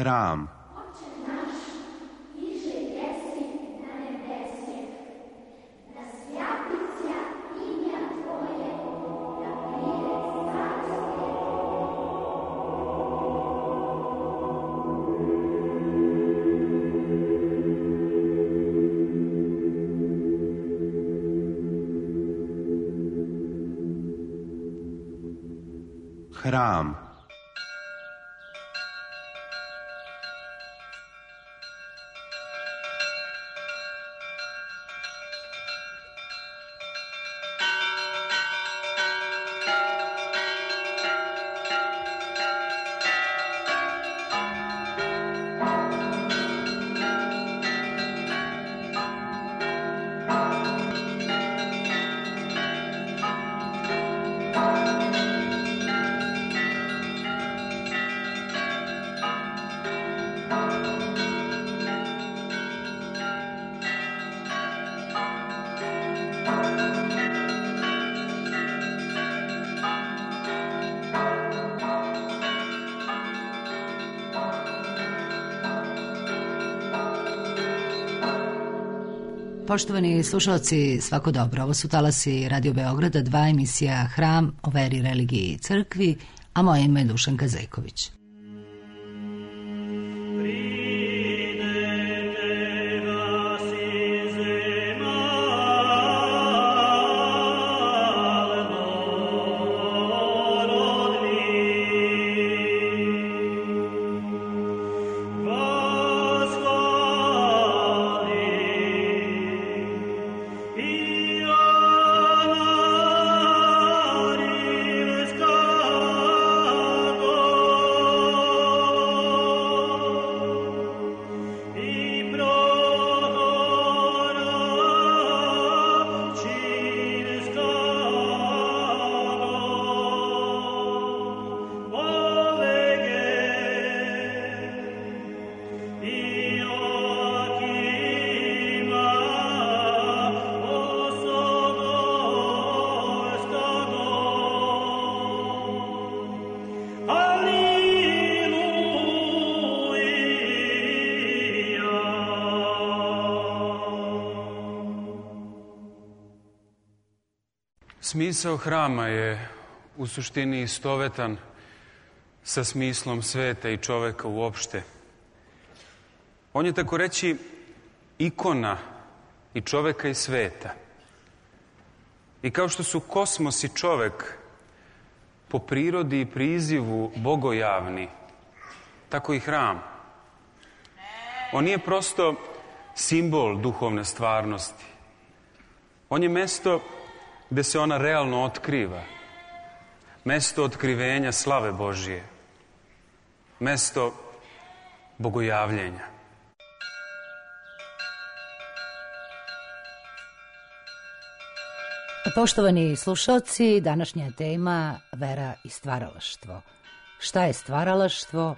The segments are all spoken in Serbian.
Hram. Hram. Poštovani slušalci, svako dobro. Ovo su talasi Radio Beograda, 2 emisija Hram o veri, religiji i crkvi, a moje ime je Dušanka Zeković. Smisao hrama je u suštini istovetan sa smislom sveta i čoveka uopšte. On je tako reći ikona i čoveka i sveta. I kao što su kosmos i čovek po prirodi i prizivu bogojavni, tako i hram. On nije prosto simbol duhovne stvarnosti. On je mesto gde se ona realno otkriva. Mesto otkrivenja slave Božije. Mesto bogojavljenja. Poštovani slušalci, današnja tema vera i stvaralaštvo. Šta je stvaralaštvo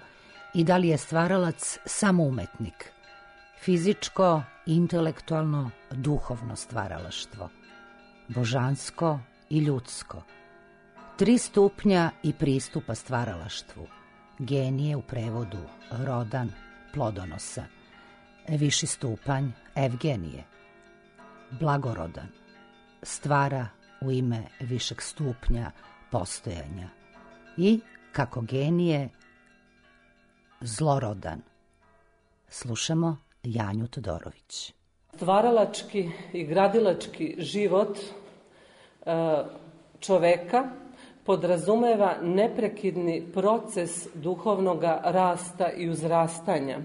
i da li je stvaralac samo umetnik? Fizičko, intelektualno, duhovno stvaralaštvo. Božansko i ljudsko. 3 stupnja i pristupa stvaralaštvu. Genije u prevodu rodan, plodonosan. Viši stupanj Evgenije. Blagorodan. Stvara u ime višeg stupnja postojanja. I kako genije zlorodan. Slušamo Janju Todorović. Stvaralački i gradilački život čoveka podrazumeva neprekidni proces duhovnog rasta i uzrastanja.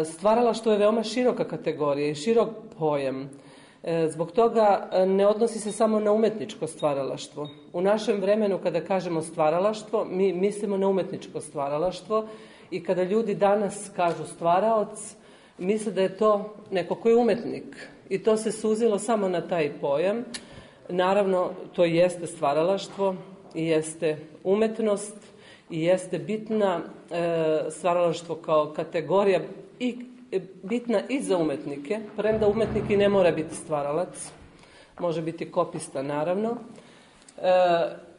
Stvaralaštvo je veoma široka kategorija i širok pojam. Zbog toga ne odnosi se samo na umetničko stvaralaštvo. U našem vremenu kada kažemo stvaralaštvo, mi mislimo na umetničko stvaralaštvo i kada ljudi danas kažu stvaraoc, misle da je to neko ko je umetnik i to se suzilo samo na taj pojam. Naravno, to jeste stvaralaštvo i jeste umetnost i jeste bitna stvaralaštvo kao kategorija i bitna i za umetnike, premda umetnik i ne mora biti stvaralac, može biti kopista naravno,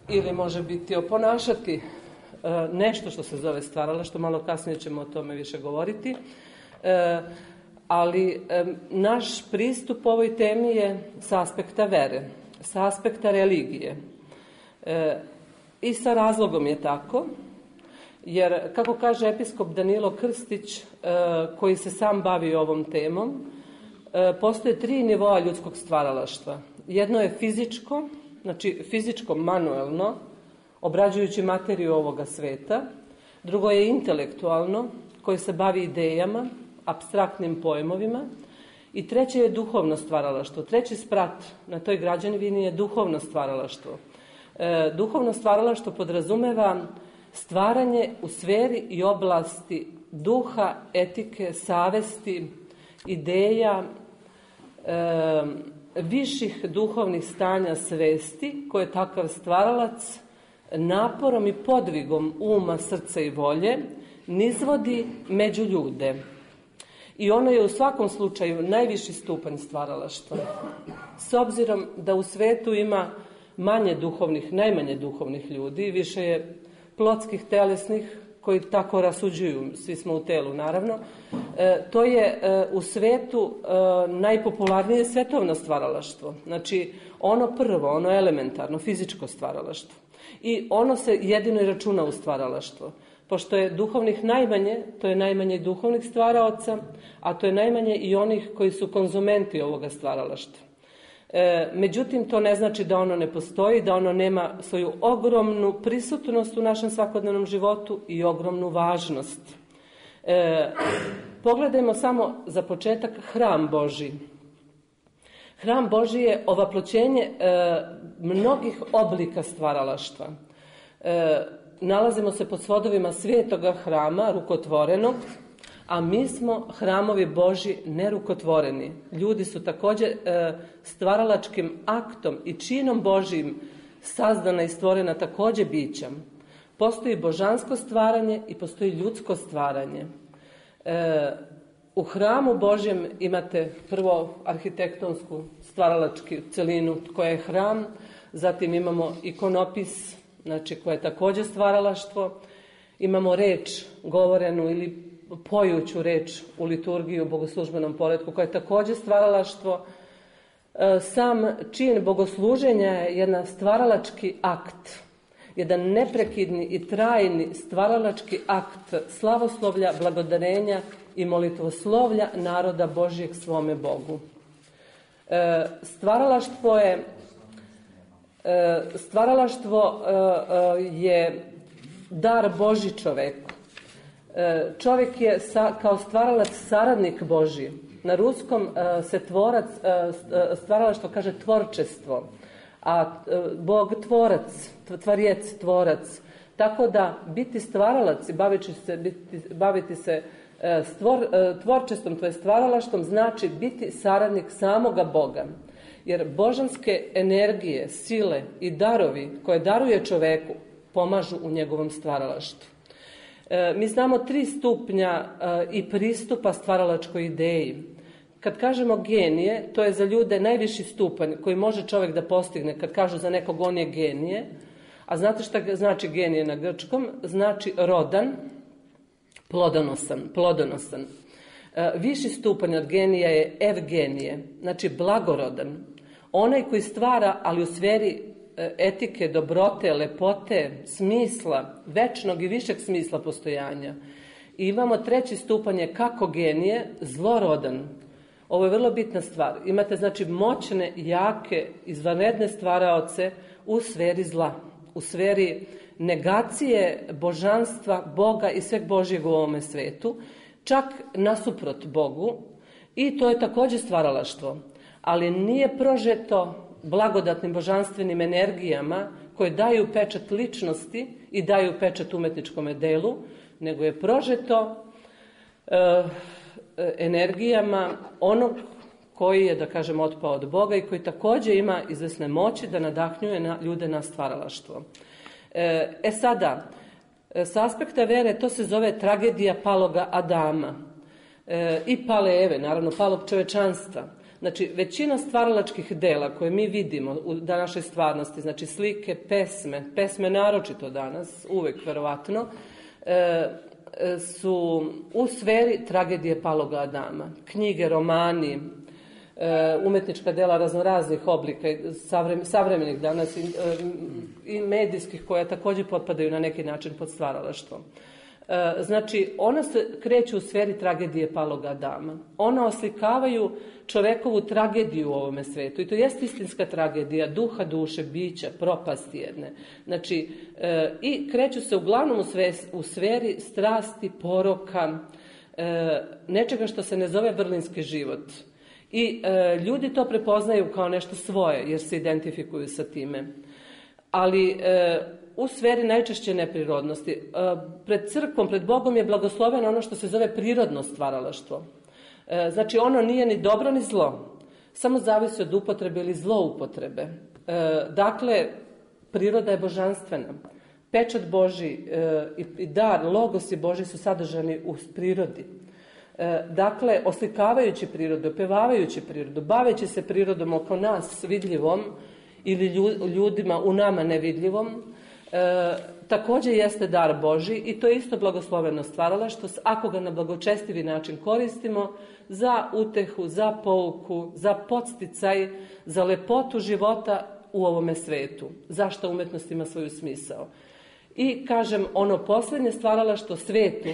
ili može biti oponašati nešto što se zove stvaralaštvo, malo kasnije ćemo o tome više govoriti, ali naš pristup ovoj temi je sa aspekta vere, sa aspekta religije. I sa razlogom je tako, jer kako kaže episkop Danilo Krstić, koji se sam bavi ovom temom, postoje 3 nivoa ljudskog stvaralaštva. Jedno je fizičko, znači fizičko, manuelno, obrađujući materiju ovoga sveta. Drugo je intelektualno, koje se bavi idejama, apstraktnim pojmovima. I treće je duhovno stvaralaštvo. Treći sprat na toj građevini je duhovno stvaralaštvo. Duhovno stvaralaštvo podrazumeva stvaranje u sferi i oblasti duha, etike, savesti, ideja, viših duhovnih stanja svesti koje takav stvaralac naporom i podvigom uma, srca i volje nizvodi među ljude. I ono je u svakom slučaju najviši stupanj stvaralaštva. S obzirom da u svetu ima najmanje duhovnih ljudi, više je plotskih, telesnih, koji tako rasuđuju, svi smo u telu naravno, to je u svetu najpopularnije svetovno stvaralaštvo. Znači ono prvo, ono elementarno, fizičko stvaralaštvo. I ono se jedino i računa u stvaralaštvo. Pošto je duhovnih najmanje, to je najmanje duhovnih stvaraoca, a to je najmanje i onih koji su konzumenti ovoga stvaralaštva. Međutim, to ne znači da ono ne postoji, da ono nema svoju ogromnu prisutnost u našem svakodnevnom životu i ogromnu važnost. Pogledajmo samo za početak hram Božji. Hram Božji je ovaploćenje mnogih oblika stvaralaštva. Nalazimo se pod svodovima svetoga hrama, rukotvorenog, a mi smo hramovi Božji nerukotvoreni. Ljudi su također stvaralačkim aktom i činom Božjim sazdana i stvorena također bića. Postoji božansko stvaranje i postoji ljudsko stvaranje. U hramu Božjem imate prvo arhitektonsku stvaralačku celinu koja je hram, zatim imamo ikonopis, znači koja je također stvaralaštvo, imamo reč govorenu ili pojuću reč u liturgiji u bogoslužbenom poretku koja je također stvaralaštvo. Sam čin bogosluženja je jedan stvaralački akt, jedan neprekidni i trajni stvaralački akt slavoslovlja, blagodarenja i molitvoslovlja naroda Božjeg svome Bogu. Stvaralaštvo je dar Božji čoveku. Čovjek je kao stvaralac saradnik Božji. Na ruskom se stvaralaštvo kaže tvorčestvo, a Bog tvorac, tvarjec, tvorac. Tako da biti stvaralac i baviti se tvorčestvom, to je stvaralaštvom, znači biti saradnik samoga Boga. Jer božanske energije, sile i darovi koje daruje čoveku pomažu u njegovom stvaralaštvu. Mi znamo 3 stupnja i pristupa stvaralačkoj ideji. Kad kažemo genije, to je za ljude najviši stupanj koji može čovjek da postigne. Kad kažu za nekog on je genije, a znate šta znači genije na grčkom? Znači rodan, plodonosan. Viši stupanj od genija je evgenije, znači blagorodan. Onaj koji stvara, ali u sferi etike, dobrote, lepote, smisla, večnog i višeg smisla postojanja. I imamo 3. stupanj je kako genije, zlorodan. Ovo je vrlo bitna stvar. Imate znači moćne, jake, izvanredne stvaraoce u sferi zla, u sferi negacije božanstva, Boga i sveg Božjeg u ovome svetu, čak nasuprot Bogu, i to je također stvaralaštvo, ali nije prožeto blagodatnim božanstvenim energijama koje daju pečat ličnosti i daju pečat umetničkom delu, nego je prožeto energijama onog koji je, da kažem, otpao od Boga i koji također ima izvesne moći da nadahnjuje ljude na stvaralaštvo. Sada, s aspekta vere to se zove tragedija paloga Adama i pale Eve, naravno palog čovečanstva. Znači, većina stvaralačkih dela koje mi vidimo u današnjoj stvarnosti, znači slike, pesme naročito danas, uvek verovatno, su u sferi tragedije paloga Adama. Knjige, romani, umetnička dela raznoraznih oblika, savremenih danas i medijskih, koja također potpadaju na neki način pod stvaralaštvo. Znači, ona se kreću u sferi tragedije paloga Adama. Ona oslikavaju čovekovu tragediju u ovome svetu. I to jeste istinska tragedija duha, duše, bića, propasti jedne. Znači, i kreću se uglavnom u sferi strasti, poroka, nečega što se ne zove vrlinski život. I ljudi to prepoznaju kao nešto svoje, jer se identifikuju sa time. Ali u sferi najčešće neprirodnosti. Pred crkvom, pred Bogom je blagosloveno ono što se zove prirodno stvaralaštvo. Znači, ono nije ni dobro ni zlo. Samo zavisi od upotrebe ili zloupotrebe. Dakle, priroda je božanstvena. Pečat Božji i dar, logosi Božji su sadržani u prirodi. Dakle, oslikavajući prirodu, opevavajući prirodu, baveći se prirodom oko nas vidljivom ili ljudima u nama nevidljivom, također jeste dar Božji i to je isto blagosloveno stvaralaštvo ako ga na blagočestivi način koristimo za utehu, za pouku, za podsticaj, za lepotu života u ovome svetu. Zašto umetnost ima svoju smisao? I kažem, ono posljednje stvaralaštvo svetu,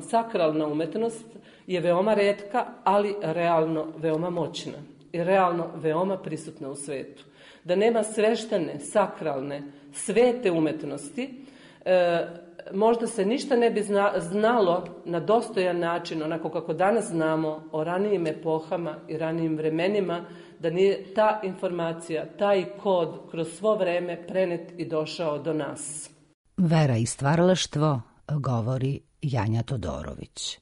sakralna umetnost je veoma retka, ali realno veoma moćna i realno veoma prisutna u svetu. Da nema sveštene, sakralne, svete umetnosti, možda se ništa ne bi znalo na dostojan način, onako kako danas znamo o ranijim epohama i ranijim vremenima, da nije ta informacija, taj kod kroz svo vreme prenet i došao do nas. Vera i stvaralaštvo, govori Janja Todorović.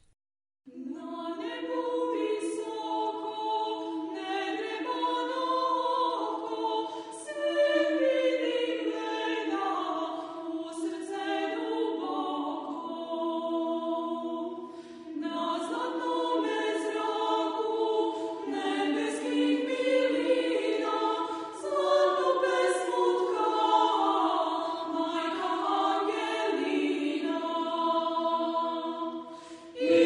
I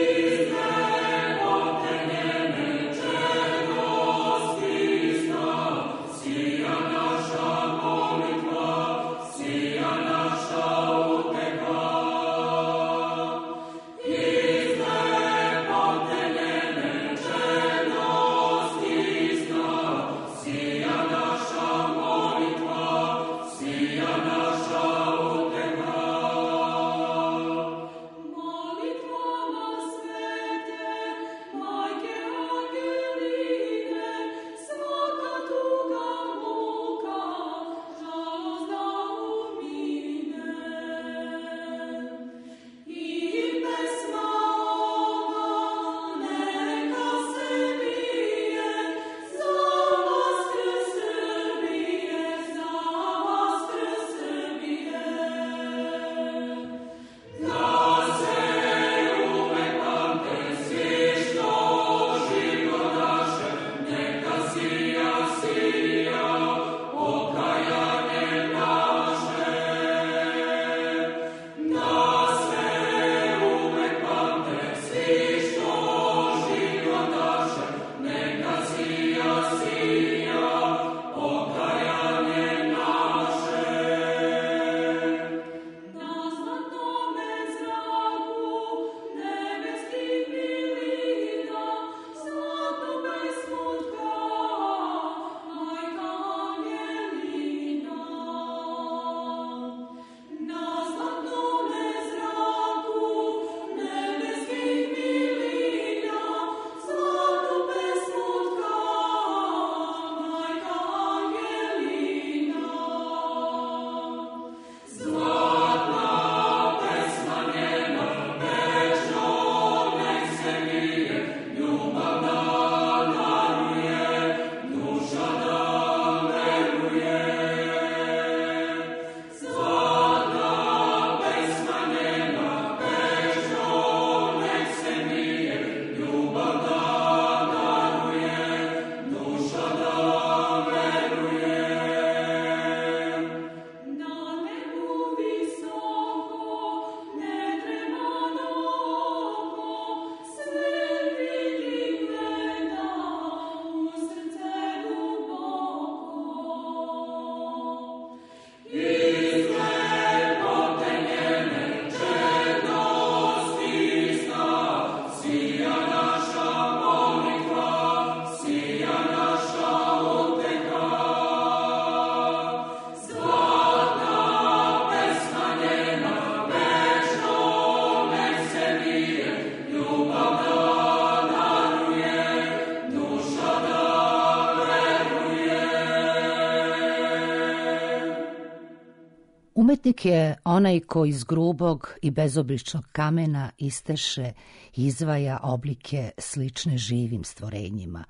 Umetnik je onaj ko iz grubog i bezobličnog kamena isteše i izvaja oblike slične živim stvorenjima.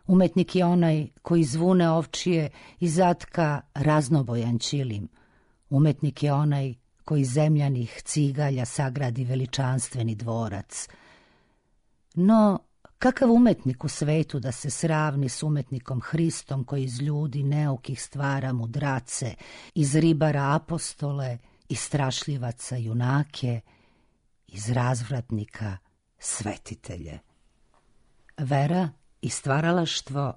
Umetnik je onaj ko iz vune ovčije i zatka raznobojan ćilim. Umetnik je onaj ko iz zemljanih cigalja sagradi veličanstveni dvorac. No, kakav umetnik u svetu da se sravni s umetnikom Hristom koji iz ljudi neukih stvara mudrace, iz ribara apostole, iz strašljivaca junake, iz razvratnika svetitelje. Vera i stvaralaštvo,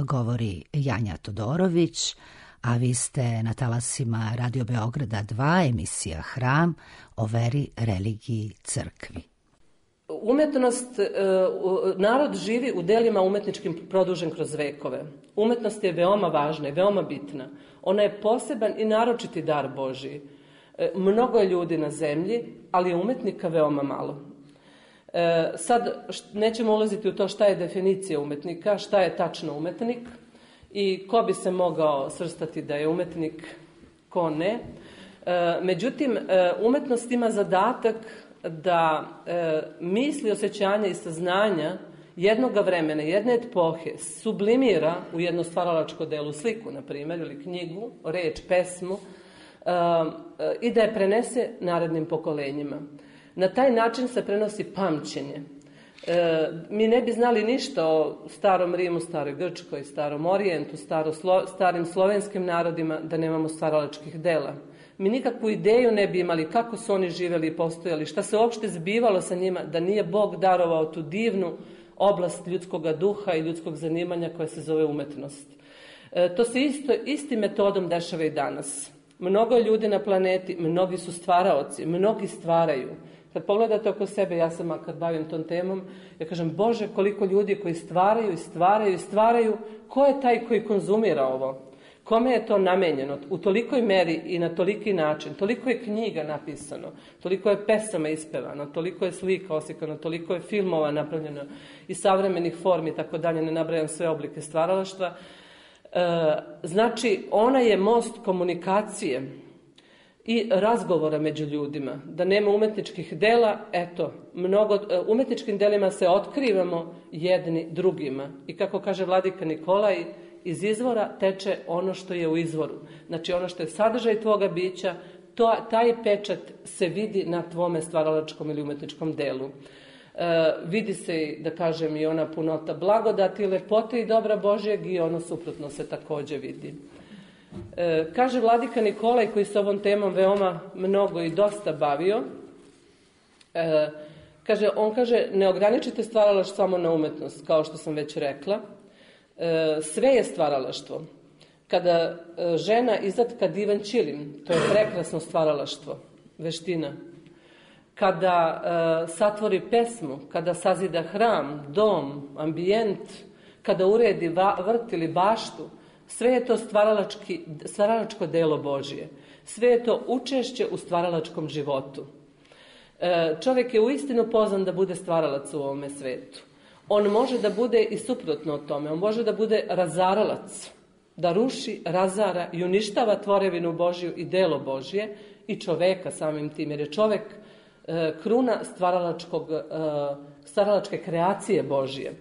govori Janja Todorović, a vi ste na talasima Radio Beograda 2, emisija Hram, o veri, religiji, crkvi. Umetnost, narod živi u delima umetničkim produžen kroz vekove. Umetnost je veoma važna i veoma bitna. Ona je poseban i naročiti dar Božiji. Mnogo je ljudi na zemlji, ali je umetnika veoma malo. Sad nećemo ulaziti u to šta je definicija umetnika, šta je tačno umetnik i ko bi se mogao svrstati da je umetnik, ko ne. Međutim, umetnost ima zadatak da misli, osjećanja i saznanja jednoga vremena, jedne epohe sublimira u jedno stvaralačko delo, sliku, na primjer, ili knjigu, reč, pesmu, i da je prenese narednim pokolenjima. Na taj način se prenosi pamćenje. Mi ne bi znali ništa o starom Rimu, staroj Grčkoj, starom Orijentu, starim slovenskim narodima da nemamo stvaralačkih dela. Mi nikakvu ideju ne bi imali kako su oni živjeli i postojali, šta se uopšte zbivalo sa njima, da nije Bog darovao tu divnu oblast ljudskog duha i ljudskog zanimanja koja se zove umetnost. To se istim metodom dešava i danas. Mnogo ljudi na planeti, mnogi su stvaraoci, mnogi stvaraju. Kad pogledate oko sebe, ja sam kad bavim tom temom, ja kažem, Bože, koliko ljudi koji stvaraju, ko je taj koji konzumira ovo? Kome je to namenjeno? U tolikoj meri i na toliki način, toliko je knjiga napisano, toliko je pesama ispevano, toliko je slika oslikano, toliko je filmova napravljeno i savremenih formi, tako dalje, ne nabrajam sve oblike stvaralaštva. Znači, ona je most komunikacije i razgovora među ljudima. Da nema umetničkih dela, umetničkim delima se otkrivamo jedni drugima. I kako kaže vladika Nikolaj, iz izvora teče ono što je u izvoru. Znači ono što je sadržaj tvoga bića, taj pečat se vidi na tvome stvaralačkom ili umetničkom delu. Vidi se, da kažem, i ona punota blagodati, lepote i dobra Božjeg i ono suprotno se također vidi. Kaže vladika Nikolaj, koji se ovom temom veoma mnogo i dosta bavio, on kaže, ne ograničite stvaralaštvo samo na umetnost, kao što sam već rekla. Sve je stvaralaštvo. Kada žena izatka divan ćilim, to je prekrasno stvaralaštvo, veština. Kada satvori pesmu, kada sazida hram, dom, ambijent, kada uredi vrt ili baštu, sve je to stvaralačko delo Božje. Sve je to učešće u stvaralačkom životu. Čovjek je uistinu pozvan da bude stvaralac u ovome svetu. On može da bude i suprotno od tome. On može da bude razaralac, da ruši, razara i uništava tvorevinu Božju i delo Božje i čoveka samim tim, jer je čovek kruna stvaralačke kreacije Božje.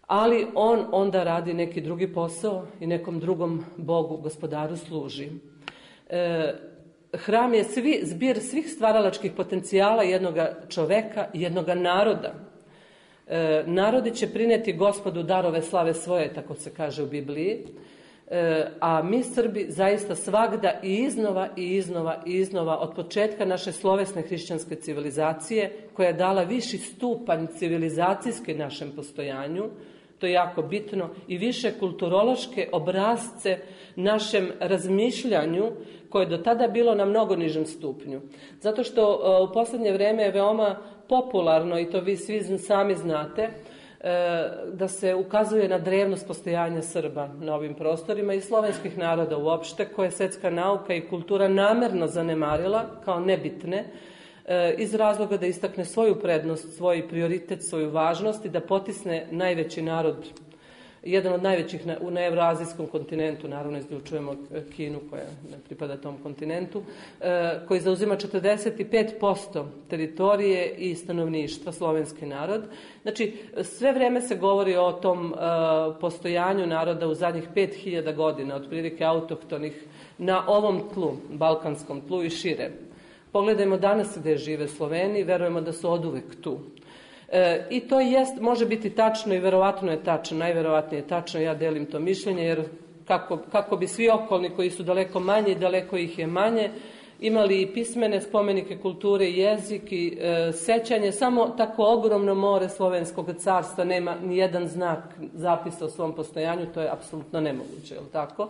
Ali on onda radi neki drugi posao i nekom drugom Bogu, gospodaru služi. Hram je zbir svih stvaralačkih potencijala jednoga čoveka i jednoga naroda. Narodi će prineti Gospodu darove slave svoje, tako se kaže u Bibliji, a mi Srbi zaista svagda i iznova od početka naše slovesne hrišćanske civilizacije, koja je dala viši stupanj civilizacijske našem postojanju, to je jako bitno, i više kulturološke obrazce našem razmišljanju, koje je do tada bilo na mnogo nižem stupnju. Zato što u posljednje vrijeme je veoma popularno, i to vi svi sami znate, da se ukazuje na drevnost postojanja Srba na ovim prostorima i slovenskih naroda uopšte, koje je svjetska nauka i kultura namerno zanemarila kao nebitne, iz razloga da istakne svoju prednost, svoj prioritet, svoju važnost i da potisne najveći narod jedan od najvećih na evroazijskom kontinentu, naravno izključujemo Kinu koja ne pripada tom kontinentu, koji zauzima 45% teritorije i stanovništva, slovenski narod. Znači, sve vreme se govori o tom postojanju naroda u zadnjih 5000 godina, otprilike autohtonih, na ovom tlu, balkanskom tlu i šire. Pogledajmo danas gde žive Sloveni, verujemo da su oduvek tu. I to može biti tačno i verovatno je tačno, najverovatnije je tačno, ja delim to mišljenje, jer kako bi svi okolni koji su daleko manje i daleko ih je manje, imali i pismene spomenike kulture i jezik i sećanje, samo tako ogromno more slovenskog carstva nema ni jedan znak zapisa o svom postojanju, to je apsolutno nemoguće, je li tako?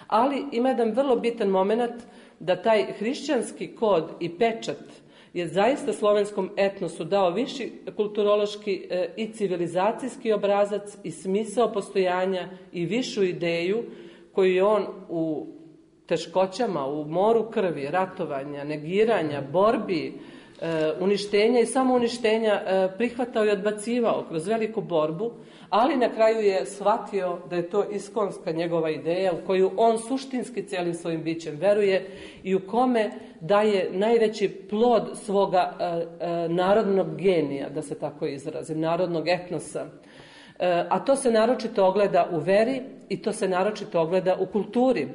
Ali ima jedan vrlo bitan moment da taj hrišćanski kod i pečat je zaista slovenskom etnosu dao viši kulturološki i civilizacijski obrazac i smisao postojanja i višu ideju koju je on u teškoćama, u moru krvi, ratovanja, negiranja, borbi, uništenja i samouništenja prihvatao i odbacivao kroz veliku borbu, ali na kraju je shvatio da je to iskonska njegova ideja u koju on suštinski cijelim svojim bićem veruje i u kome daje najveći plod svoga narodnog genija, da se tako izrazim, narodnog etnosa. A to se naročito ogleda u veri i to se naročito ogleda u kulturi,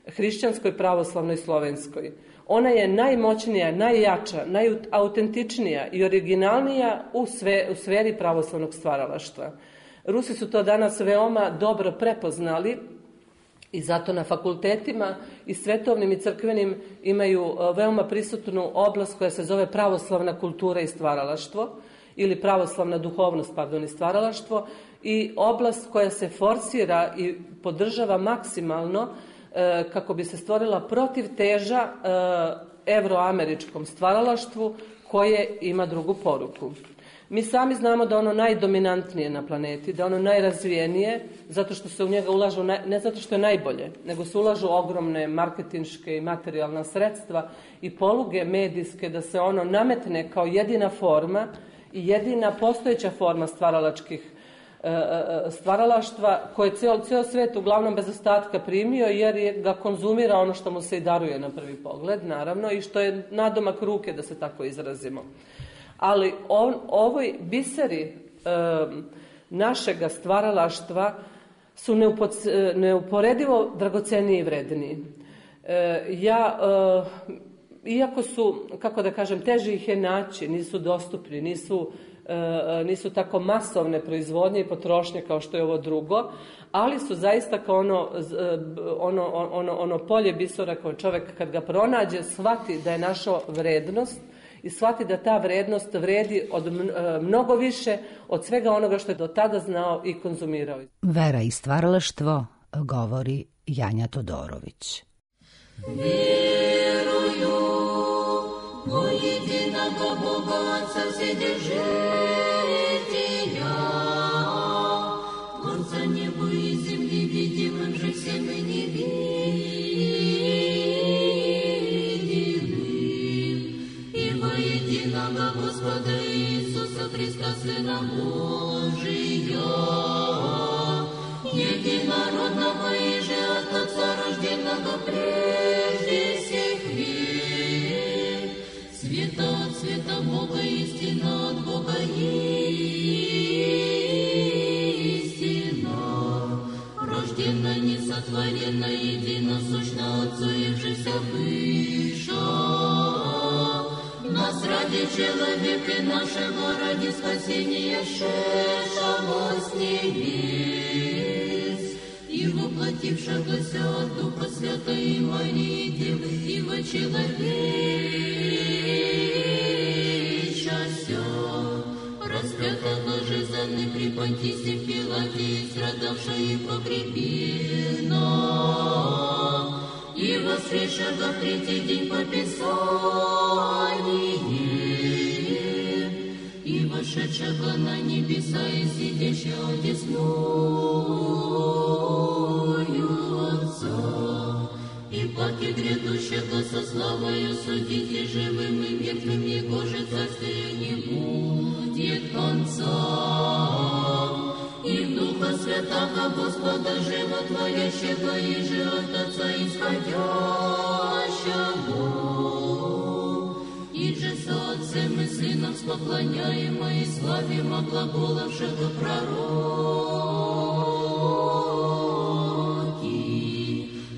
hrišćanskoj, pravoslavnoj, slovenskoj. Ona je najmoćnija, najjača, najautentičnija i originalnija u sferi pravoslavnog stvaralaštva. Rusi su to danas veoma dobro prepoznali i zato na fakultetima i svetovnim i crkvenim imaju veoma prisutnu oblast koja se zove pravoslavna kultura i stvaralaštvo ili pravoslavna duhovnost, i stvaralaštvo, i oblast koja se forsira i podržava maksimalno kako bi se stvorila protivteža evroameričkom stvaralaštvu koje ima drugu poruku. Mi sami znamo da ono najdominantnije na planeti, da ono najrazvijenije, zato što se u njega ulažu, ne zato što je najbolje, nego se ulažu ogromne marketinške i materijalna sredstva i poluge medijske da se ono nametne kao jedina forma i jedina postojeća forma stvaralaštva koje je cijel svet uglavnom bez ostatka primio jer ga konzumira ono što mu se i daruje na prvi pogled, naravno, i što je nadomak ruke, da se tako izrazimo. Ali ovoj biseri našega stvaralaštva su neuporedivo dragoceniji i vredniji. Iako su, kako da kažem, teže ih je naći, nisu dostupni, nisu tako masovne proizvodnje i potrošnje kao što je ovo drugo, ali su zaista kao ono polje bisera koje čovjek kad ga pronađe shvati da je našao vrednost i shvati da ta vrednost vredi od mnogo više od svega onoga što je do tada znao i konzumirao. Vera i stvaralaštvo, govori Janja Todorović. Верую во единого Бога Отца Вседержителя, Творца неба и земли, видимым же всем и невидимым, и во единого Господа Иисуса Христа, Сына Божия, единородного и же от Отца рожденного прежде всех век, света от света Бога, истина от Бога истина, рождена, несотворена, единосущна Отцу и вжися выше, нас ради человека нашего, ради спасения шедшего с небес, и воплотившегося от Духа Святой Марии Девы, и вочеловечася, распятого же за мной при Понтисе Пилате, страдавшего и погребена, и воскресшего в третий день по Писанию, и вошедшего на небеса и сидящего одесную Отца, и паки грядущего со славою судить и живым и мертвым, Его же царствие не будет конца, и в Духа Духа Святаго, Господа животворящего и же от Отца исходящего, и же со Отцем и Сыном споклоняемо и славимо глаголавшего пророки,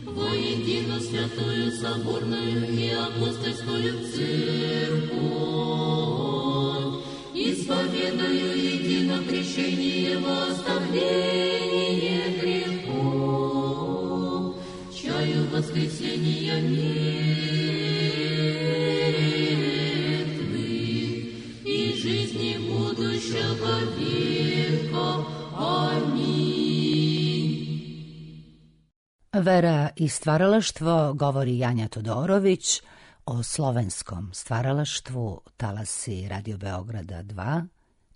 воедино святую соборную и апостольскую церковь, исповедую едино крещение во оставление грехов, чаю воскресения мертвых и жизни будущего века. Аминь. Vera i stvaralaštvo govori Janja Todorović o slovenskom stvaralaštvu, talasi Radio Beograda 2,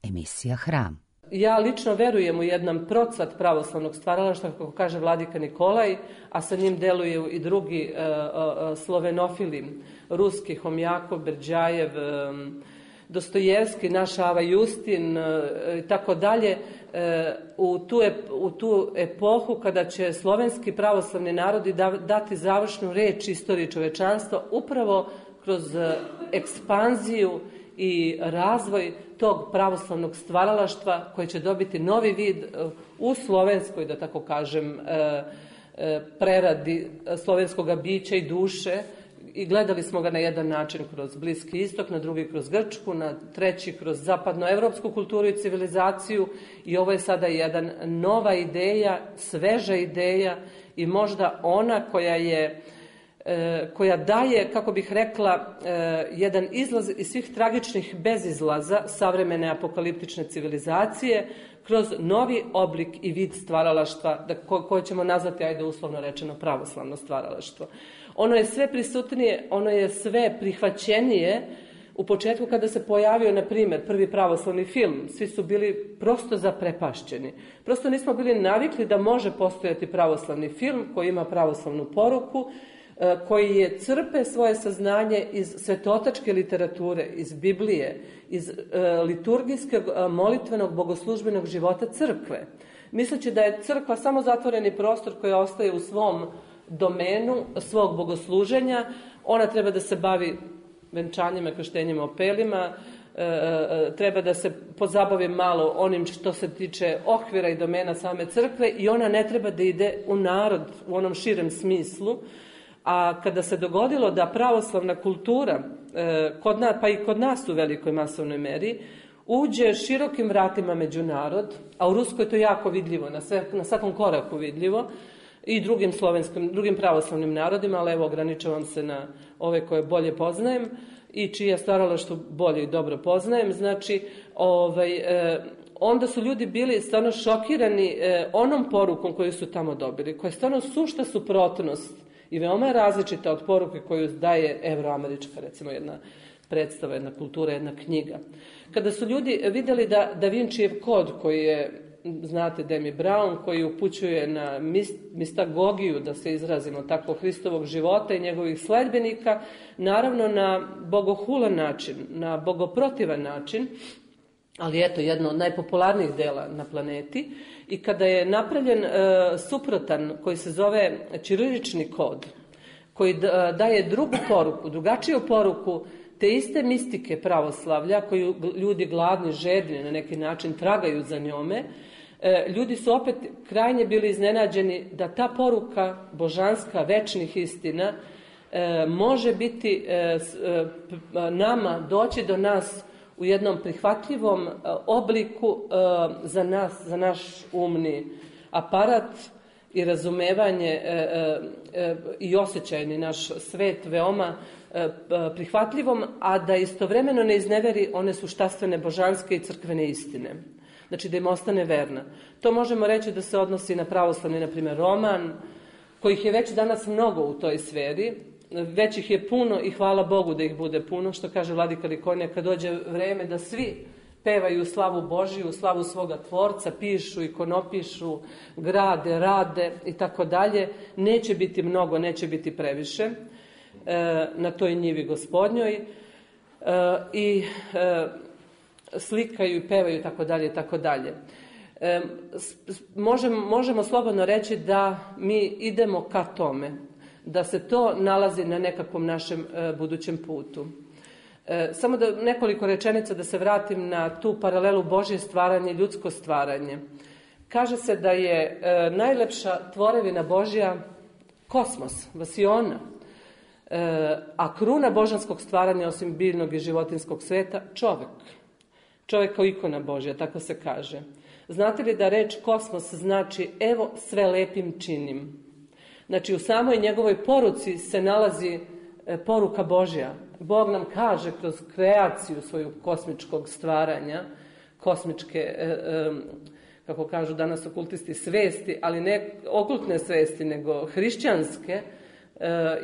emisija Hram. Ja lično verujem u jedan procvat pravoslavnog stvaralaštva, kako kaže vladika Nikolaj, a sa njim deluju i drugi slovenofili, ruski, Homjakov, Berđajev, Dostojevski, naš Ava Justin i tako dalje, u tu epohu kada će slovenski pravoslavni narodi dati završnu reč istoriji čovečanstva upravo kroz ekspanziju i razvoj tog pravoslavnog stvaralaštva koje će dobiti novi vid u slovenskoj, da tako kažem, preradi slovenskog bića i duše. I gledali smo ga na jedan način kroz Bliski istok, na drugi kroz Grčku, na treći kroz zapadnoevropsku kulturu i civilizaciju. I ovo je sada jedna nova ideja, sveža ideja i možda ona koja daje, kako bih rekla, jedan izlaz iz svih tragičnih bezizlaza savremene apokaliptične civilizacije kroz novi oblik i vid stvaralaštva koje ćemo nazvati, ajde uslovno rečeno, pravoslavno stvaralaštvo. Ono je sve prisutnije, ono je sve prihvaćenije. U početku kada se pojavio, na primjer, prvi pravoslavni film, svi su bili prosto zaprepašćeni. Prosto nismo bili navikli da može postojati pravoslavni film koji ima pravoslavnu poruku, koji crpe svoje saznanje iz svetotačke literature, iz Biblije, iz liturgijskog molitvenog bogoslužbenog života crkve. Misleći da je crkva samo zatvoreni prostor koji ostaje u svom domenu svog bogosluženja, ona treba da se bavi venčanjima, krštenjima, opelima, treba da se pozabavi malo onim što se tiče okvira i domena same crkve i ona ne treba da ide u narod u onom širem smislu. A kada se dogodilo da pravoslavna kultura, pa i kod nas u velikoj masovnoj meri, uđe širokim vratima među narod, a u Ruskoj je to jako vidljivo, na svakom koraku vidljivo, i drugim pravoslavnim narodima, ali evo ograničavam se na ove koje bolje poznajem i čija stvaralaštvo bolje i dobro poznajem. Znači, onda su ljudi bili stvarno šokirani onom porukom koju su tamo dobili, koja je stvarno sušta suprotnost i veoma je različita od poruke koju daje evroamerička, recimo, jedna predstava, jedna kultura, jedna knjiga. Kada su ljudi vidjeli Da Vincijev kod, koji je, znate, Demi Brown, koji upućuje na mistagogiju, da se izrazimo tako, Hristovog života i njegovih sledbenika, naravno na bogohulan način, na bogoprotivan način, ali eto, jedno od najpopularnijih dela na planeti. I kada je napravljen suprotan, koji se zove ćirilični kod, koji daje drugu poruku, drugačiju poruku te iste mistike pravoslavlja, koju ljudi gladni, žedni na neki način tragaju za njome, ljudi su opet krajnje bili iznenađeni da ta poruka božanska, večnih istina, može biti nama, doći do nas u jednom prihvatljivom obliku za nas, za naš umni aparat i razumevanje i osjećajni naš svet veoma prihvatljivom, a da istovremeno ne izneveri one suštastvene božanske i crkvene istine. Znači da im ostane verna. To možemo reći da se odnosi na pravoslavni, na primjer, roman, kojih je već danas mnogo u toj sferi. Već ih je puno i hvala Bogu da ih bude puno, što kaže vladika Nikolaj, kad dođe vreme da svi pevaju slavu Božiju, slavu svoga tvorca, pišu, ikonopišu, grade, rade i tako dalje. Neće biti mnogo, neće biti previše na toj njivi gospodnjoj i slikaju i pevaju i tako dalje i tako dalje. Možemo slobodno reći da mi idemo ka tome, da se to nalazi na nekakvom našem budućem putu. Samo da nekoliko rečenica da se vratim na tu paralelu Božje stvaranje i ljudsko stvaranje. Kaže se da je najlepša tvorevina Božja kosmos, vasiona, a kruna božanskog stvaranja osim biljnog i životinskog sveta, čovjek. Čovjek kao ikona Božja, tako se kaže. Znate li da reč kosmos znači evo sve lepim činim? Znači u samoj njegovoj poruci se nalazi poruka Božja. Bog nam kaže kroz kreaciju svoju kosmičkog stvaranja, kosmičke, kako kažu danas okultisti, svesti, ali ne okultne svesti, nego hrišćanske,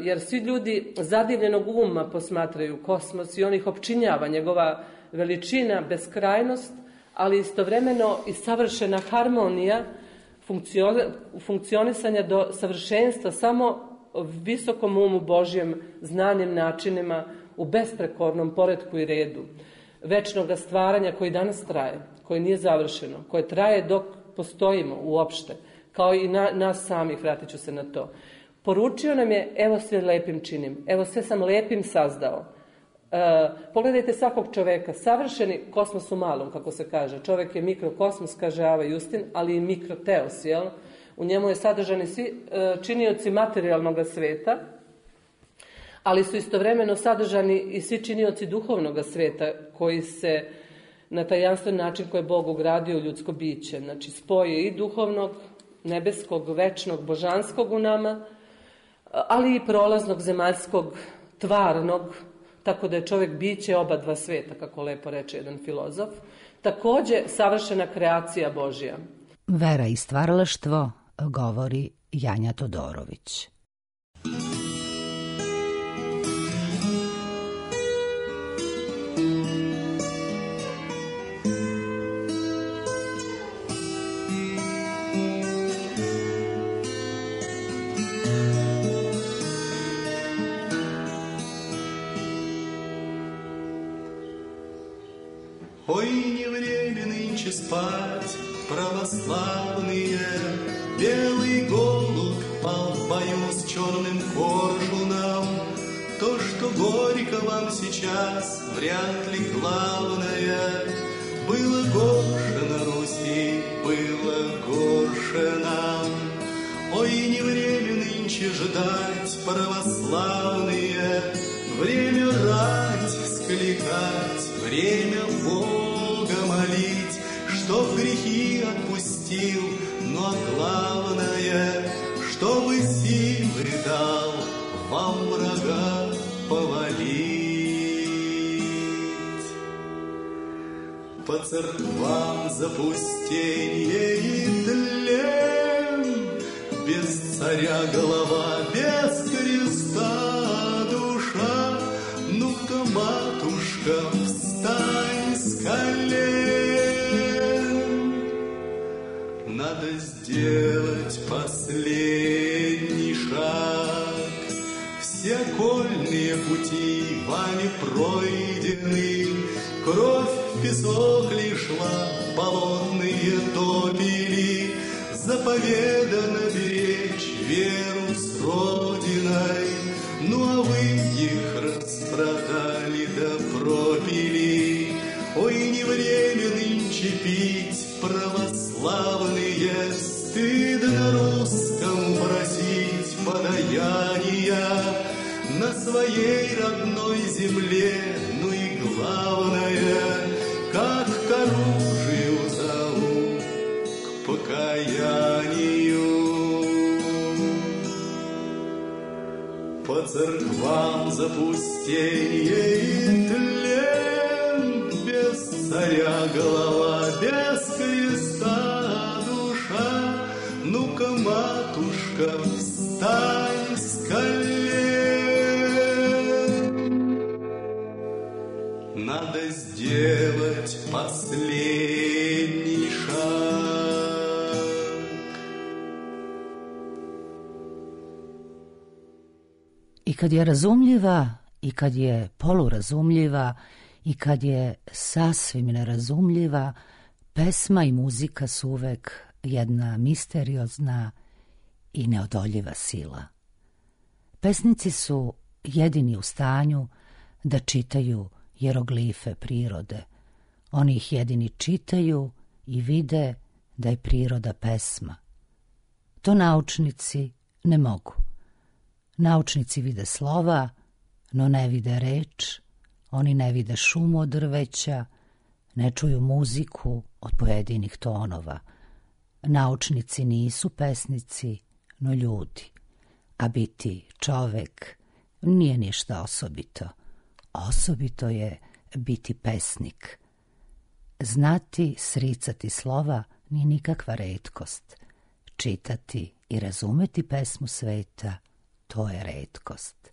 jer svi ljudi zadivljenog uma posmatraju kosmos i on ih opčinjava, njegova veličina, beskrajnost, ali istovremeno i savršena harmonija funkcionisanja do savršenstva samo visokom umu Božjem, znanjem, načinima, u besprekornom poretku i redu večnog stvaranja koji danas traje, koji nije završeno, koje traje dok postojimo uopšte, kao i nas samih, vratit ću se na to. Poručio nam je, evo sve lepim činim, evo sve sam lepim sazdao. Pogledajte svakog čoveka, savršeni kosmos u malom, kako se kaže. Čovjek je mikrokosmos, kaže Ava Justin, ali i mikroteos, jel? U njemu je sadržani svi činioci materijalnog sveta, ali su istovremeno sadržani i svi činioci duhovnog sveta koji se na tajanstven način koji je Bog ugradio u ljudsko biće. Znači spoje i duhovnog, nebeskog, večnog, božanskog u nama, ali i prolaznog, zemaljskog, tvarnog, tako da je čovjek biće oba dva sveta, kako lepo reče jedan filozof. Također savršena kreacija Božja. Vera i stvaralaštvo, govori Janja Todorović. Ой, не время нынче спать, православные. Белый голубь пал в бою с черным коршуном. То, что горько вам сейчас, вряд ли главное. Было горше на Руси, было горше нам. Ой, не время нынче ждать, православные. Время рать, скликать, время Бога молить, чтоб грехи отпустил, но главное, чтобы силы дал вам врага повалить. По церквам запустение и тлен, без царя голова, без креста душа. Ну-ка, матушка, встань с колен. Надо сделать последний шаг. Все окольные пути вами пройдены. Кровь в песок ли шла, болотные топили. Заповедано беречь веру с Родиной. Ну а вы их распродали да пропили. Ой, не время нынче пить, православные. Стыдно русскому просить подаяния на своей родной земле. Ну и главное, как к оружию зовут, к покаянию. По церквам запустение и тлен, без царя голова, без креста душа. Ну-ка, матушка, встань с колен. Надо сделать последний шаг. I kad je razumljiva, i kad je polurazumljiva, i kad je sasvim nerazumljiva, Pesma i muzika su uvek jedna misteriozna i neodoljiva sila. Pesnici su jedini u stanju da čitaju jeroglife prirode. Oni ih jedini čitaju i vide da je priroda pesma. To naučnici ne mogu. Naučnici vide slova, no ne vide reč, oni ne vide šumu od drveća, ne čuju muziku od pojedinih tonova. Naučnici nisu pesnici, no ljudi, a biti čovek nije ništa osobito. Osobito je biti pesnik. Znati sricati slova nije nikakva retkost. Čitati i razumeti pesmu sveta, to je retkost.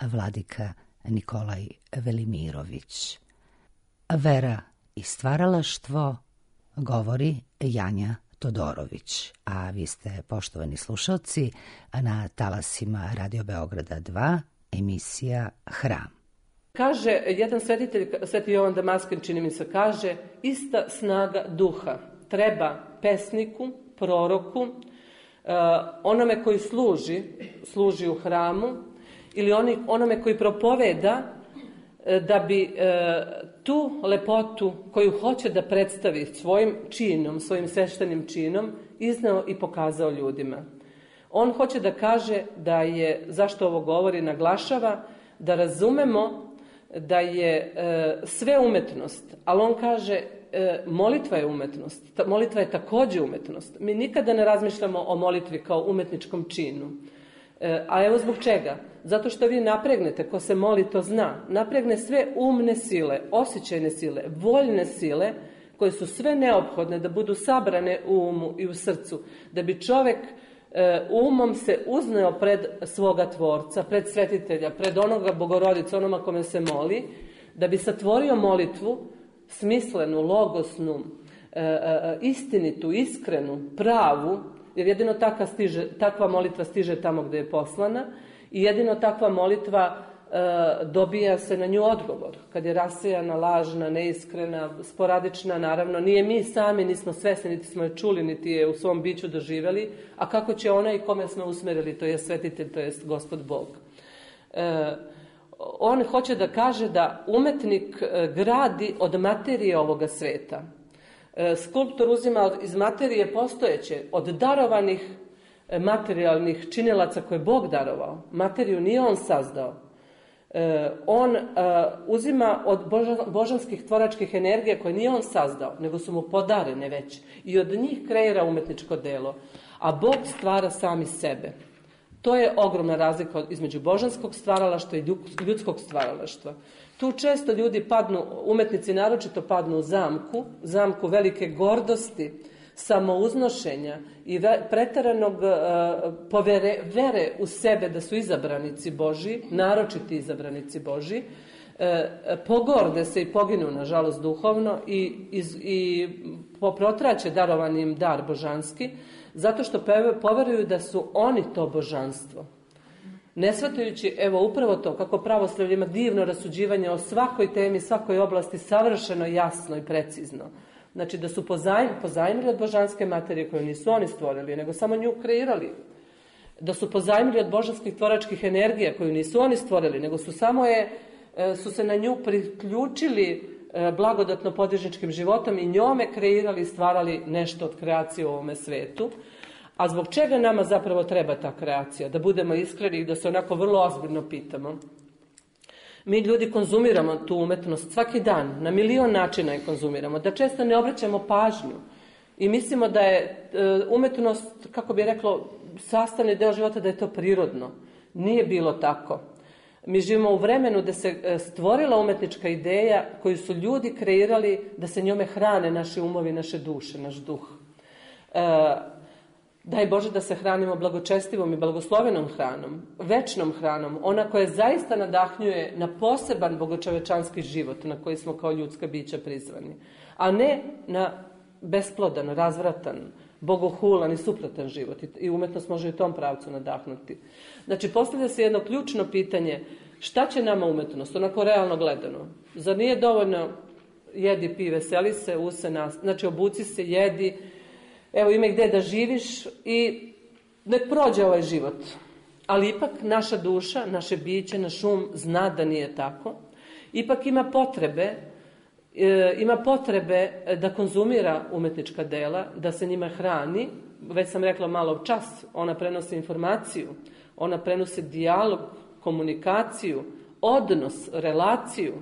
Vladika Nikolaj Velimirović. Vera i stvaralaštvo, govori Janja Todorović, a vi ste, poštovani slušalci, na talasima Radio Beograda 2, emisija Hram. Kaže jedan svetitelj, Sveti Jovan Damaskin, čini mi se, kaže, ista snaga duha treba pesniku, proroku, onome koji služi u hramu, ili onome koji propoveda, da bi tu lepotu koju hoće da predstavi svojim činom, svojim sveštenim činom, izneo i pokazao ljudima. On hoće da kaže da je, zašto ovo govori, naglašava, da razumemo da je sve umetnost, ali on kaže molitva je umetnost, molitva je takođe umetnost. Mi nikada ne razmišljamo o molitvi kao umetničkom činu. A evo zbog čega? Zato što vi napregnete, ko se moli to zna, napregne sve umne sile, osjećajne sile, voljne sile, koje su sve neophodne da budu sabrane u umu i u srcu, da bi čovek umom se uzneo pred svoga tvorca, pred svetitelja, pred onoga Bogorodice, onoma kome se moli, da bi satvorio molitvu smislenu, logosnu, istinitu, iskrenu, pravu, jer jedino takva molitva stiže tamo gde je poslana i jedino takva molitva dobija se na nju odgovor. Kad je rasejana, lažna, neiskrena, sporadična, naravno, nije mi sami, nismo svesni, niti smo je čuli, niti je u svom biću doživjeli, a kako će onaj kome smo usmerili, to je svetitelj, to je Gospod Bog. On hoće da kaže da umetnik gradi od materije ovoga sveta. Skulptor uzima iz materije postojeće, od darovanih materijalnih činilaca koje je Bog darovao. Materiju nije on sazdao. On uzima od božanskih tvoračkih energija koje nije on sazdao, nego su mu podarene već. I od njih kreira umetničko delo. A Bog stvara sami sebe. To je ogromna razlika između božanskog stvaralaštva i ljudskog stvaralaštva. Tu često ljudi padnu, umetnici naročito padnu u zamku velike gordosti, samouznošenja i preteranog vere u sebe da su izabranici Božji, naročiti izabranici Božji, pogorde se i poginu, nažalost, duhovno i protraće darovanim dar božanski, zato što poveruju da su oni to božanstvo. Ne shvatajući, evo upravo to, kako pravoslavlje ima divno rasuđivanje o svakoj temi, svakoj oblasti, savršeno, jasno i precizno. Znači da su pozajmili od božanske materije koju nisu oni stvorili, nego samo nju kreirali. Da su pozajmili od božanskih tvoračkih energija koju nisu oni stvorili, nego su se na nju priključili blagodatno podižničkim životom i njome kreirali i stvarali nešto od kreacije u ovome svetu. A zbog čega nama zapravo treba ta kreacija? Da budemo iskreni i da se onako vrlo ozbiljno pitamo. Mi ljudi konzumiramo tu umetnost svaki dan, na milion načina je konzumiramo, da često ne obraćamo pažnju i mislimo da je umetnost, kako bi reklo, sastavni deo života, da je to prirodno. Nije bilo tako. Mi živimo u vremenu da se stvorila umetnička ideja koju su ljudi kreirali da se njome hrane naši umovi, naše duše, naš duh. Daj Bože da se hranimo blagočestivom i blagoslovenom hranom, večnom hranom, ona koja zaista nadahnjuje na poseban bogočovečanski život na koji smo kao ljudska bića prizvani, a ne na besplodan, razvratan, bogohulan i suprotan život. I umetnost može i u tom pravcu nadahnuti. Znači, postavlja se jedno ključno pitanje, šta će nama umetnost, onako realno gledano? Zar nije dovoljno jedi, pi, veseli se, znači obuci se, jedi, evo ima gde da živiš i nek prođe ovaj život. Ali ipak naša duša, naše biće, naš um zna da nije tako. Ipak ima potrebe da konzumira umetnička dela, da se njima hrani. Već sam rekla malo čas, ona prenosi informaciju, ona prenosi dijalog, komunikaciju, odnos, relaciju.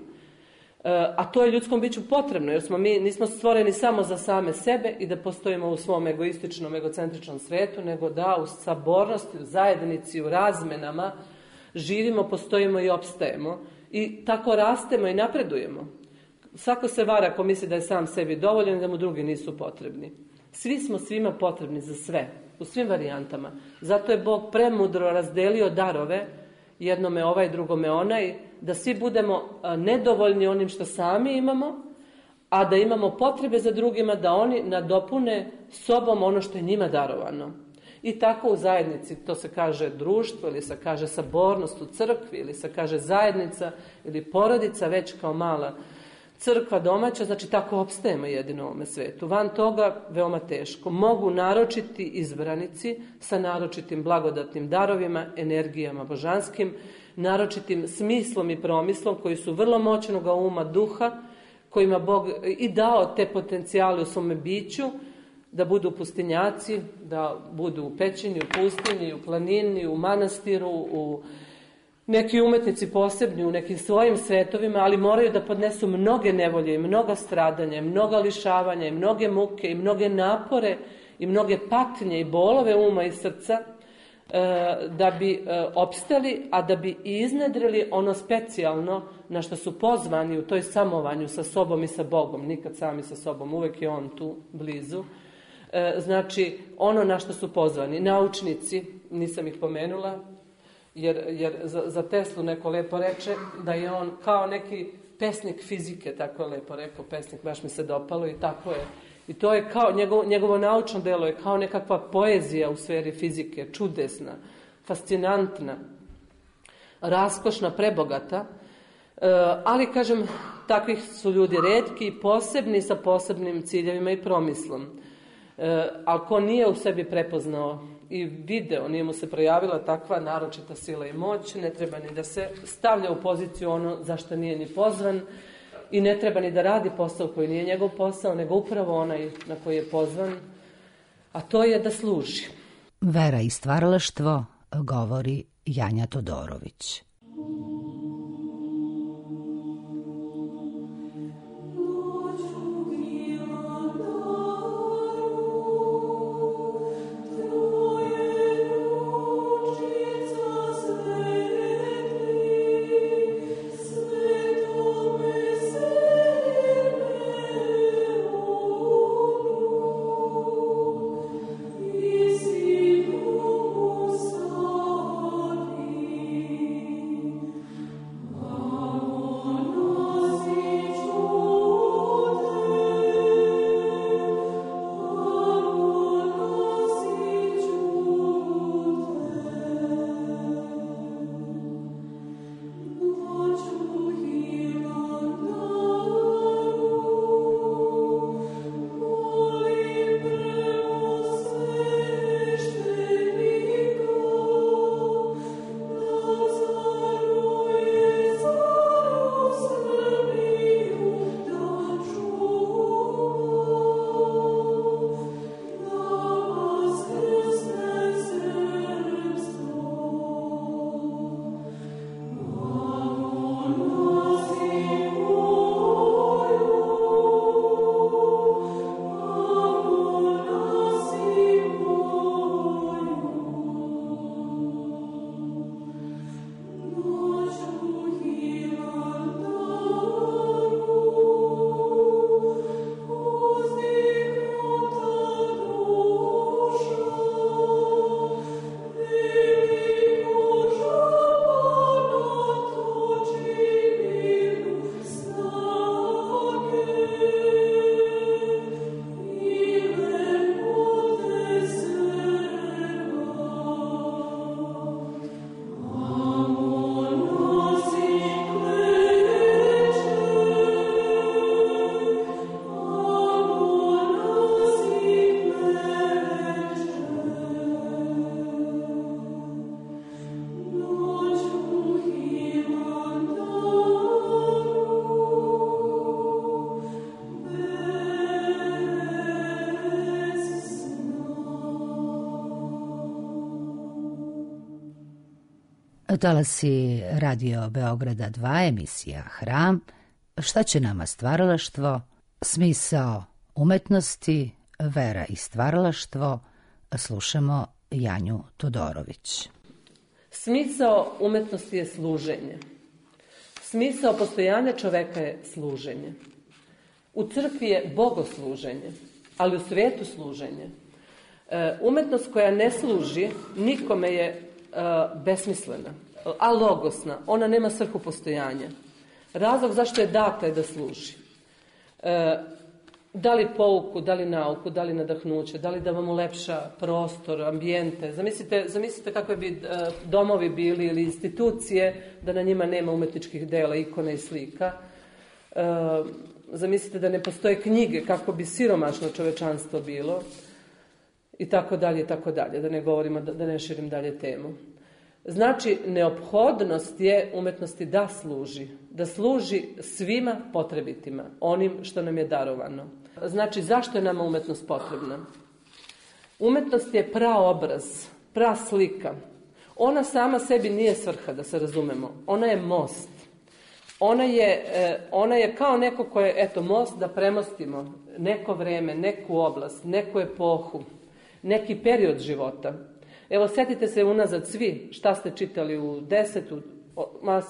A to je ljudskom biću potrebno, jer mi nismo stvoreni samo za same sebe i da postojimo u svom egoističnom, egocentričnom svetu, nego da u sabornosti, u zajednici, u razmenama živimo, postojimo i opstajemo. I tako rastemo i napredujemo. Svako se vara ako misli da je sam sebi dovoljan i da mu drugi nisu potrebni. Svi smo svima potrebni za sve, u svim varijantama. Zato je Bog premudro razdelio darove, jednome ovaj, drugome onaj, da svi budemo nedovoljni onim što sami imamo, a da imamo potrebe za drugima, da oni nadopune sobom ono što je njima darovano. I tako u zajednici, to se kaže društvo, ili se kaže sabornost u crkvi, ili se kaže zajednica, ili porodica već kao mala crkva domaća, znači tako opstajemo jedino u ovome svetu. Van toga veoma teško. Mogu naročiti izbranici sa naročitim blagodatnim darovima, energijama božanskim, naročitim smislom i promislom koji su vrlo moćnog uma, duha, kojima Bog i dao te potencijale u svome biću, da budu pustinjaci, da budu u pećini, u pustinji, u planini, u manastiru, u neki umetnici posebni u nekim svojim svetovima, ali moraju da podnesu mnoge nevolje i mnoga stradanja, i mnoga lišavanja, i mnoge muke, i mnoge napore, i mnoge patnje i bolove uma i srca, da bi opstali, a da bi iznedrili ono specijalno na što su pozvani u toj samovanju sa sobom i sa Bogom. Nikad sami sa sobom, uvek je On tu, blizu. Znači, ono na što su pozvani. Naučnici, nisam ih pomenula, jer za Teslu neko lepo reče da je on kao neki pesnik fizike, tako je lepo rekao pesnik, baš mi se dopalo i tako je. I to je kao, njegovo naučno delo je kao nekakva poezija u sferi fizike, čudesna, fascinantna, raskošna, prebogata, ali kažem, takvih su ljudi retki i posebni sa posebnim ciljevima i promislom. Ali ko nije u sebi prepoznao i video, nije mu se projavila takva naročita sila i moć, ne treba ni da se stavlja u poziciju ono za što nije ni pozvan i ne treba ni da radi posao koji nije njegov posao, nego upravo onaj na koji je pozvan, a to je da služi. Vera i stvaralaštvo, govori Janja Todorović. Talasi Radio Beograda 2, emisija Hram. Šta će nama stvaralaštvo? Smisao umetnosti, vera i stvaralaštvo. Slušamo Janju Todorović. Smisao umetnosti je služenje. Smisao postojanja čoveka je služenje. U crkvi je bogosluženje, ali u svijetu služenje. Umetnost koja ne služi nikome je besmislena, alogosna. Ona nema svrhu postojanja. Razlog zašto je data je da služi. Da li pouku, da li nauku, da li nadahnuće, da li da vam ulepša prostor, ambijente. Zamislite kakve bi domovi bili ili institucije da na njima nema umetničkih dela, ikona i slika. Zamislite da ne postoje knjige, kako bi siromašno čovečanstvo bilo. I tako dalje, da ne govorimo, da ne širim dalje temu. Znači, neophodnost je umetnosti da služi svima potrebitima, onim što nam je darovano. Znači, zašto je nama umetnost potrebna? Umetnost je praobraz, praslika. Ona sama sebi nije svrha, da se razumemo. Ona je most. Ona je kao neko koje je, eto, most da premostimo neko vreme, neku oblast, neku epohu, neki period života. Evo, setite se unazad svi šta ste čitali u 10,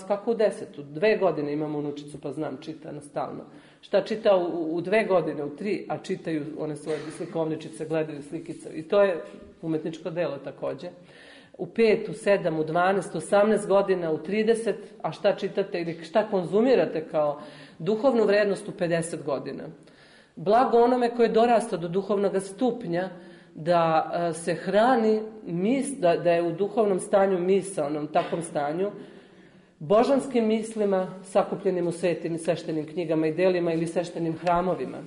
kako u 10, 2 godine imam unučicu pa znam, čita stalno. Šta čita u 2 godine, u 3, a čitaju one svoje slikovničice, gledaju slikice. I to je umetničko delo takođe. U 5, u 7, u 12, 18 godina, u 30, a šta čitate ili šta konzumirate kao duhovnu vrednost u 50 godina. Blago onome koje je dorastao do duhovnog stupnja, da se hrani, da je u duhovnom stanju misaonom, takvom stanju, božanskim mislima sakupljenim u svetim i sveštenim knjigama i delima ili sveštenim hramovima.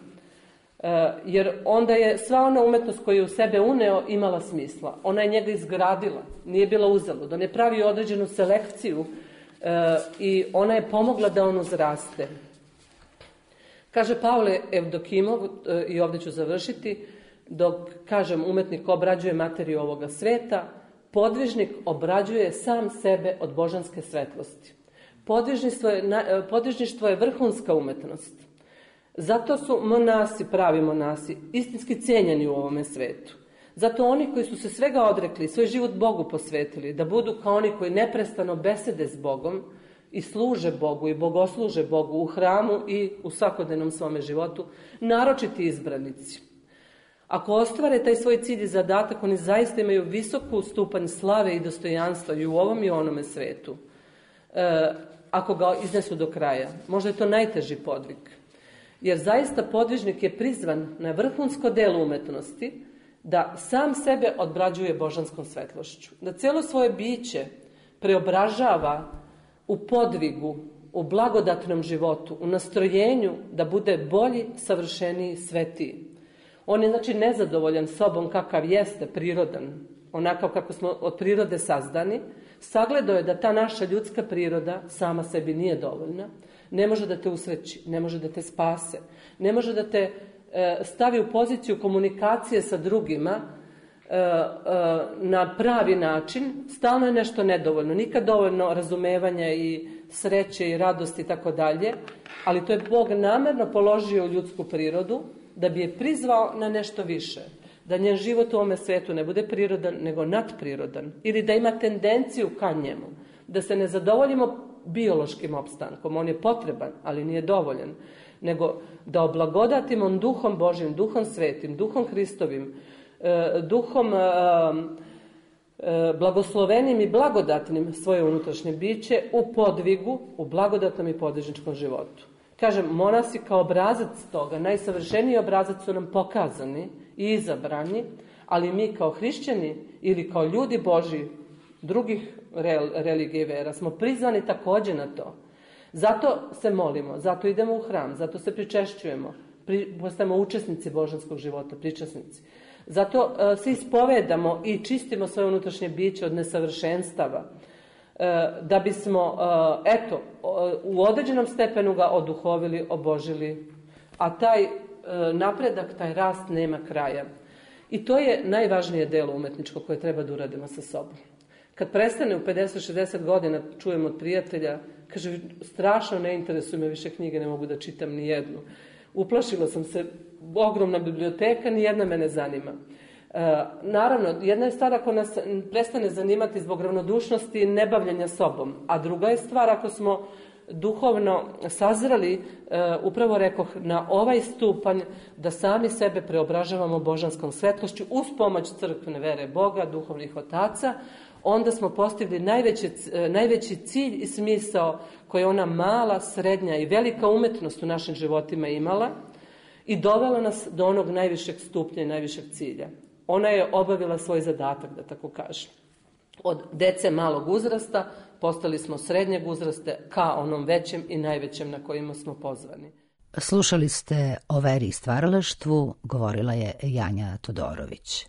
Jer onda je sva ona umetnost koju je u sebe uneo imala smisla. Ona je njega izgradila, nije bila uzalud. On je pravio određenu selekciju i ona je pomogla da on uzraste. Kaže Pavle Evdokimov, i ovdje ću završiti, dok, kažem, umetnik obrađuje materiju ovoga sveta, podvižnik obrađuje sam sebe od božanske svetlosti. Podvižništvo je vrhunska umetnost. Zato su monasi, pravi monasi, istinski cijenjeni u ovome svetu. Zato oni koji su se svega odrekli, svoj život Bogu posvetili, da budu kao oni koji neprestano besede s Bogom i služe Bogu i bogosluže Bogu u hramu i u svakodnevnom svome životu, naročiti izbranici. Ako ostvare taj svoj cilj i zadatak, oni zaista imaju visoku stupanj slave i dostojanstva i u ovom i onome svetu. Ako ga iznesu do kraja. Možda je to najteži podvig. Jer zaista podvižnik je prizvan na vrhunsko delo umetnosti da sam sebe obrađuje božanskom svetlošću. Da cijelo svoje biće preobražava u podvigu, u blagodatnom životu, u nastrojenju da bude bolji, savršeniji, svetiji. On je, znači, nezadovoljan sobom kakav jeste, prirodan, onakav kako smo od prirode sazdani. Sagledao je da ta naša ljudska priroda sama sebi nije dovoljna, ne može da te usreći, ne može da te spase, ne može da te stavi u poziciju komunikacije sa drugima na pravi način. Stalno je nešto nedovoljno, nikad dovoljno razumevanja i sreće i radosti i tako dalje, ali to je Bog namerno položio u ljudsku prirodu da bi je prizvao na nešto više. Da njen život u ovome svetu ne bude prirodan, nego nadprirodan. Ili da ima tendenciju ka njemu. Da se ne zadovoljimo biološkim opstankom. On je potreban, ali nije dovoljan. Nego da oblagodatimo duhom Božjim, duhom svetim, duhom Hristovim, duhom blagoslovenim i blagodatnim svoje unutrašnje biće u podvigu, u blagodatnom i podvižničkom životu. Kažem, monasi kao obrazac toga, najsavršeniji obrazac su nam pokazani i izabrani, ali mi kao hrišćani ili kao ljudi Božji drugih religije i vera smo prizvani također na to. Zato se molimo, zato idemo u hram, zato se pričešćujemo, postajemo učesnici božanskog života, pričasnici. Zato se ispovedamo i čistimo svoje unutrašnje biće od nesavršenstava, da bismo, u određenom stepenu ga oduhovili, obožili, a taj napredak, taj rast nema kraja. I to je najvažnije delo umetničko koje treba da uradimo sa sobom. Kad prestane u 50-60 godina, čujem od prijatelja, kaže, strašno ne interesuje me više knjige, ne mogu da čitam ni jednu. Uplašila sam se, ogromna biblioteka, ni jedna me ne zanima. Naravno, jedna je stvar ako nas prestane zanimati zbog ravnodušnosti i nebavljanja sobom, a druga je stvar ako smo duhovno sazreli, upravo rekoh, na ovaj stupanj da sami sebe preobražavamo božanskom svetlošću uz pomoć crkvene vere Boga, duhovnih otaca, onda smo postigli najveći cilj i smisao koje ona mala, srednja i velika umetnost u našim životima imala i dovela nas do onog najvišeg stupnja i najvišeg cilja. Ona je obavila svoj zadatak, da tako kažem. Od dece malog uzrasta postali smo srednjeg uzrasta ka onom većem i najvećem na kojima smo pozvani. Slušali ste o veri i stvaralaštvu, govorila je Janja Todorović.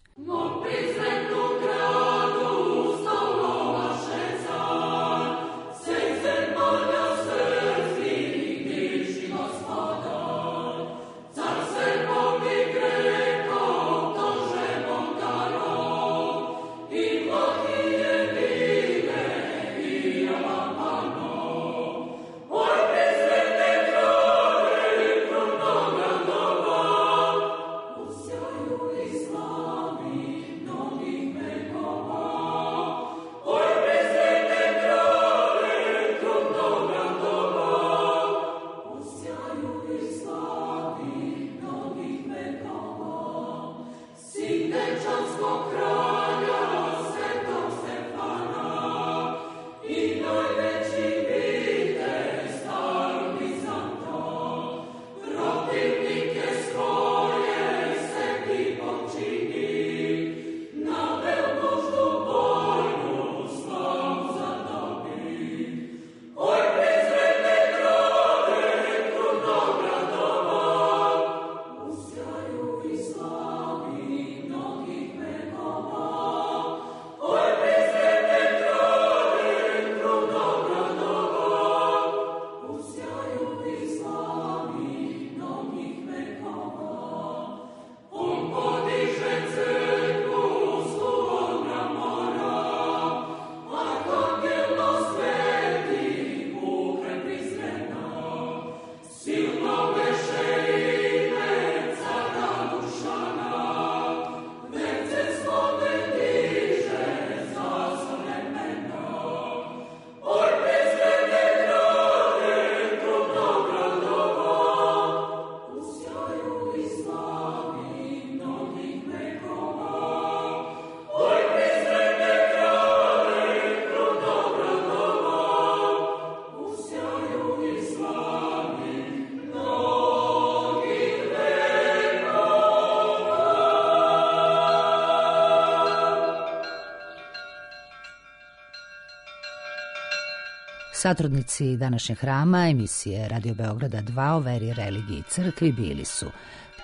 Satrudnici današnjeg hrama emisije Radio Beograda 2 o veri, religiji i crkvi bili su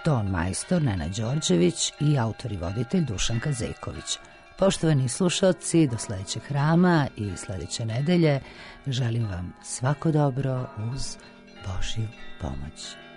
ton majstor Nenad Đorđević i autor i voditelj Dušan Kazeković. Poštovani slušalci, do sledećeg hrama i sledeće nedelje želim vam svako dobro uz Božju pomoć.